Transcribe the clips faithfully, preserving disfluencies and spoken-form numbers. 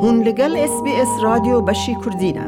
Hûn li gel S B S Radyo Beşî Kurdî ne.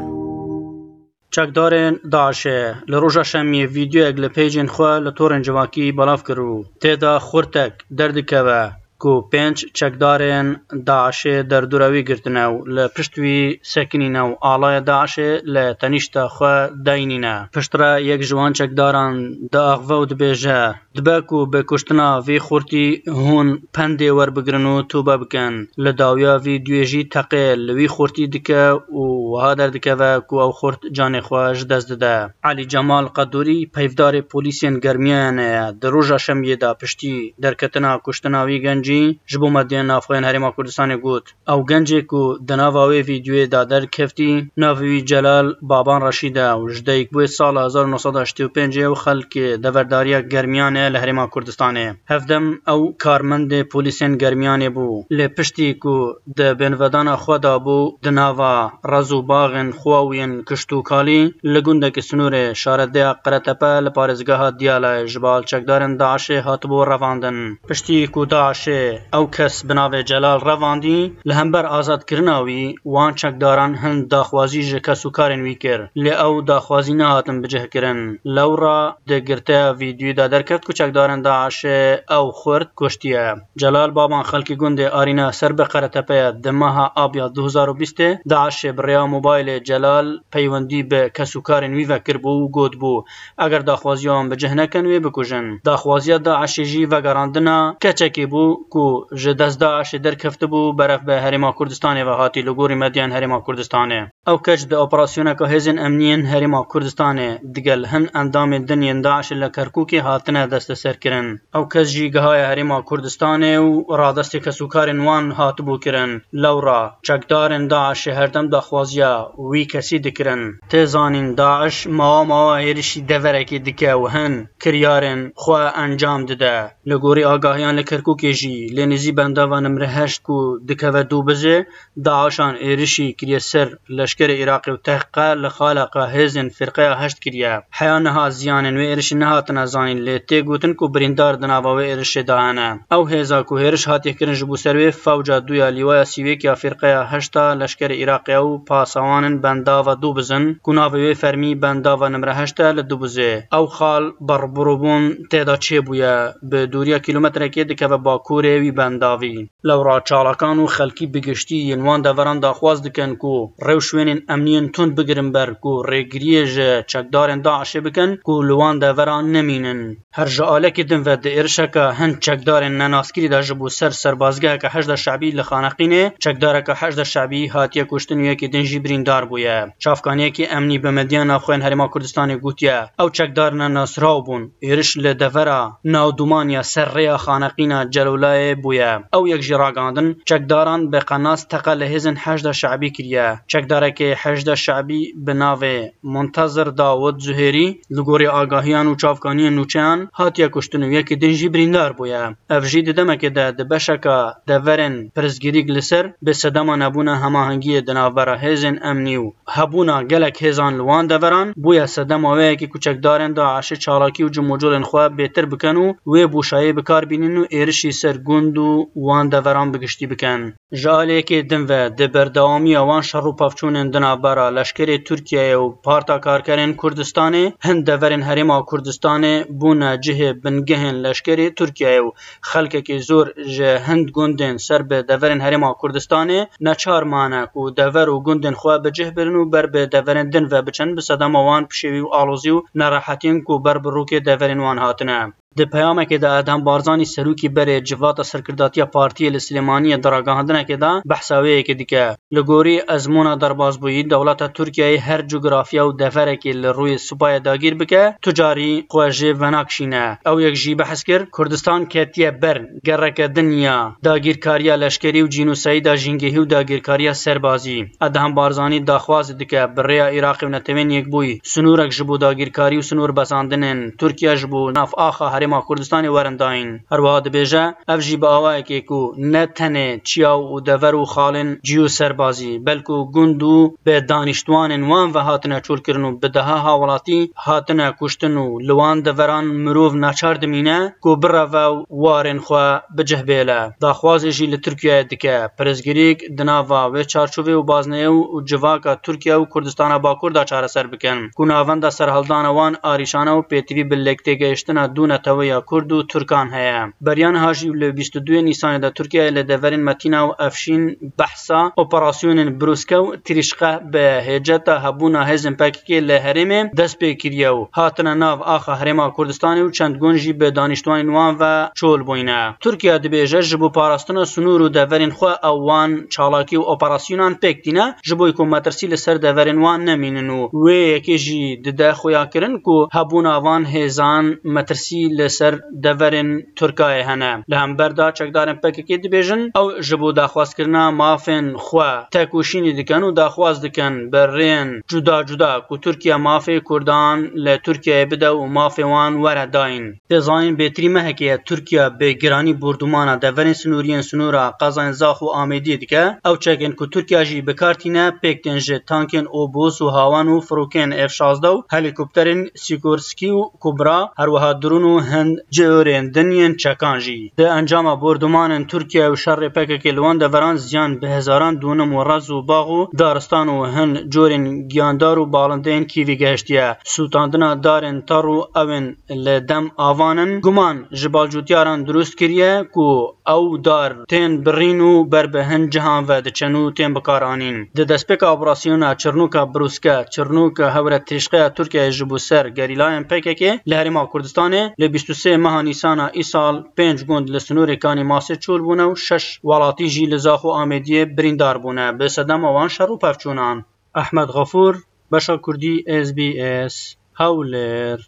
Çekdarên DAIŞê li roja şemiyê vîdeoyek li pêjên xwe li torên civakî belav kir û tê de xurtek derdikeve ku pênc çekdarên DAIŞê derdora wî girtine û li pişt wî sekinîne û alaya DAIŞê li tenîşta xwe dayînîne. Piştre yek ji wan çekdaran diaxive û dibêje, Dibe ku bi kuştina vî xurtî hûn pendê werbigirin û tobe bikin. Li dawiya vî duyê jî teqê li wî xurtî dike û wiha derdikeve ku ew xurt canê xwe ji dest dide. Elî Cemal Qedûrî peyvdarê polîsên germiyanê ye. Di roja şemiyê de piştî derketina kuştina wî gencî ji bo medyayên navxwe yên Herêma Kurdistanê got, Ew gencê ku di nava wê vîdeoyê de derkeftî, navê wî Celal Baban Reşîd e û ji dayikbûyê sala hezar û neh sed û heştê û pêncê û xelkê deverdariya Germiyanê li Herêma Kurdistanê. Hevdem ew karmendê polîsên Germiyanê bû. Lê piştî ku di bêhnvedana xwe de bû, di nava rez û baxên xwe û yên kişt û kalî li gundekî sînorê şaredeya Qeretepe li parêzgeha Diyalayê ji bal çekdarên DAIŞê hatibû revandin. Piştî ku DAIŞê ew kes bi navê Celal revandî, li hember azadkirina wî, wan çekdaran hin daxwazî ji kesûkarên wî kir, lê ew daxwazî nehatin bicihkirin. Lewra di girteya vîdyoyê de derket ku çekdarên DAIŞê ew xurt kuştiye. Celal Baban xelkê gundê Arîna ser bi Qeretepe ye. Di meha Abiya du hezar û bîstê DAIŞê bi rêya mobaylê Celal peywendî bi kesûkarên wî ve kiribû û gotibû, Eger daxwaziya wan bi cih nekin, wê bikujin. Daxwaziya DAIŞê jî vegerandina keçekê bû ku ji dest DAIŞê derkeftibû, berev bi Herêma Kurdistanê ve hatî, li gorî medyayên Herêma Kurdistanê. Ew keç di operasyoneke hêzên emniyên Herêma Kurdistanê digel hin endamên din yên DAIŞê li Kerkûkê hatine desteserkirin. Ew kes jî gihaye Herêma Kurdistanê û radestê kesûkarên wan hatibû kirin. Lewra çekdarên DAIŞê herdem daxwaziya wî kesî dikirin. Tê zanîn, DAIŞ mawa mawa êrişî deverekê dike û hin kiryarên xwe encam dide. Li gorî agahiyan li Kerkûkê jî, lê nêzî bendava nimre heşt ku dikeve Dûbizê, DAIŞan êrişî kiriye ser leşkerê Iraqê û tehqe li xaleka hêzên firqeya heşt kiriye. Heya niha ziyanên wê êrişî nehatine zanîn, lê tê gotin ku birîndar di nava wê êrişê de hene. Ew hêza ku hêriş hatiye kirin ji bo ser wê fewca du ya lîwaya sî û yek ya firqeya heşt a leşkerê Iraqê û pasawanên bendava Dûbizin, ku navê wê fermî bendava nimre heşt e li Dûbizê. Ew xal berbirbûn tê de çêbûye, bi dûriya kîlometrekê dikeve bakurê wî bendavî. Lewra çalakan û xelkî bi giştî yên wan deveran daxwaz dikin ku rewşwênên emniyên tund bigirin ber ku rêgiriyê ji çekdarên DAIŞê bikin ku li wan deveran nemînin. Her ji alekî din ve di êrişeke hin çekdarên nenaskirî de ji bo ser serbazgeheke Heşda Şebî li Xaneqînê, çekdareke Heşda Şebî hatiye kuştin û yekî din jî birîndar bûye. Çavkaniyekî emnî bi medyaya navxwe yên Herêma Kurdistanê gotiye, Ew çekdar nenasraw bûn. Êriş li devera navdûman ya ser rêya Xaneqîna Celûlayê bûye. Ew yek jî ragihandin, çekdaran bi qenas teqe li hêzên Heşda Şebî kiriye. Çekdarekê Heşda Şebî bi navê Muntezir Dawud Zuhêrî, li gorî agahiyan û çavkaniyên nûçeyan, hatiye kuştin û yekî din jî birîndar bûye. Ev jî di demekê de di beşeka deverên pirsgirîk li ser bi sedema nebûna hemahengiyê di navbera hêzên emnî û hebûna gelek hêzan li wan deveran bûye sedema wê yekê ku çekdarên DAIŞê çalakî û cimûcolên xwe bêtir bikin û wê boşayê bi kar bînin û êrişî ser gund û wan deveran bi giştî bikin. Ji aliyekê din ve, di berdewamiya wan şer û pevçûnên di navbera leşkerê Tirkiyeyê û Parta Karkerên Kurdistanê, hin deverên Herêma Kurdistanê bûne cihê bingehên leşkerê Tirkiyeyê û xelkekî zor ji hin gundên ser bi deverên Herêma Kurdistanê neçar mane ku dever û gundên xwe bi cih birin û ber bi deverên din ve biçin, bi sedema wan pişêwî û alozî û nerehetiyên ku ber bi rûkê deverên wan hatine. Di peyamekê de Edhem Barzanî, serokî berê Civata Serkirdatiya Partiyê li Silêmaniyê, di ragihandinekê de behsa wê yekê dike. Li gorî ezmûna derbazbûyî, dewleta Tirkiyeyê her cografiya û deverekê li rûyê supayê dagîr bike, tu carî xwe jê venakişîne. Ew yek jî behs kir, Kurdistan ketiye ber gereke din ya dagîrkariya leşkerî û cînosayîda jîngehî û dagîrkariya serbazî. Edhem Barzanî daxwaz dike, bi rêya Iraqê û Netewên Yekbûyî, sinûrek ji bo dagîrkarî û sinûr bezandinên Tirkiye ji bo nav axa Herêma Herêma Kurdistanê werin dayîn. Her wiha dibêje, ev jî bi awayekê ku ne tenê çiyaw û dever û xalên cî û serbazî, belku gund û bi danîştwanên wan ve hatine çolkirin û bi deha hawelatî hatine kuştin û li wan deveran mirov naçar dimîne ku bireve û warên xwe bi cih bêle. Daxwazê jî li Tirkiyeyê dike, pirsgirêk di nava wê çarçovê û bazneyê û civaka Tirkiye û Kurdistana Bakur de çareser bikin, ku navenda serhildana wan arîşane û pêtivî bi lêktêgehiştina du neteweya Kurd û Tirkan heye. Beriya niha jî li bîst û duyê Nîsanê de Tirkiyeyê li deverên Metîna û Efşîn behsa operasyonên birûske û tirîşqe bi hêceta hebûna hêzên P K K li herêmê dest pê kiriye û hatine nav axa Herêma Kurdistanê û çend gund jî bi danîştwanên wan ve çol bûyne. Tirkiye dibêje, ji bo parastina sinûr û deverên xwe ew wan çalakî û operasyonan pêk tîne, ji bo ku metirsî li ser deverên wan nemînin û wê yekê jî dide xuyakirin ku hebûna van hêzan metirsî li ser deverên Tirkayê hene. Li hember de çekdarên P K K dibêjin, ew ji bo daxwazkirina mafên xwe tekoşînê dikin û daxwaz dikin bi rêyên cuda cuda ku Tirkiye mafê Kurdan li Tirkiyeyê bide û mafê wan were dayîn. Tê zanîn bêtirî mehekê ye Tirkiye bi giranî bordûmana deverên sinûrî yên sinûra qezayên Zax û Amêdiyê dike. Ew çekên ku Tirkiye jî bi kar tîne pêk tên ji tankên Obus û Hawan û firokeyên F şazdeh û helîkopterên Sikorsky û Kubra, her wiha drûn û hin cihorên din yên çekan jî. Di encama bordûmanên Tirkiye û şerê P K K li wan deveran ziyan bi hezaran dûnim û rez û bax û daristan û hin corên giyandar û balindeyên Kîvî gehiştiye. Sûtandina darên tar û ewên li dem avan in, guman ji balcûtiyaran dirust kiriye ku ew dar tên birîn û ber bi hin cihan ve diçin û tên bikaranîn. Di destpêka operasyona Çirnûka Birûske, Çirnûka Hewre Tirîşqeya Tirkiyeyê ji bo ser gerîlayên P K K li Herêma Kurdistanê li bîst û sê meha Nîsana îsal pênc gund li sinûrê Kanî Masê çol bûne û şeş welatî jî li Zax û Amêdiyê birîndar bûne, bi sedema wan şer û pevçûnan. Ehmed Xefûr, Beşa Kurdî, S B S, Hewlêr.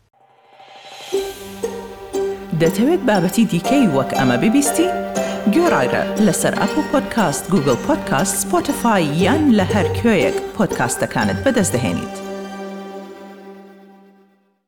دەتەوێت بابەتی دیکەی وەک ئەمە ببیستی؟ گوێڕایرە لەسەر ئەپڵ پۆدکاست، گوگڵ پۆدکاست، سپۆتیفای یان لە هەر کوێیەک پۆدکاستەکانت بەدەست دەهێنیت.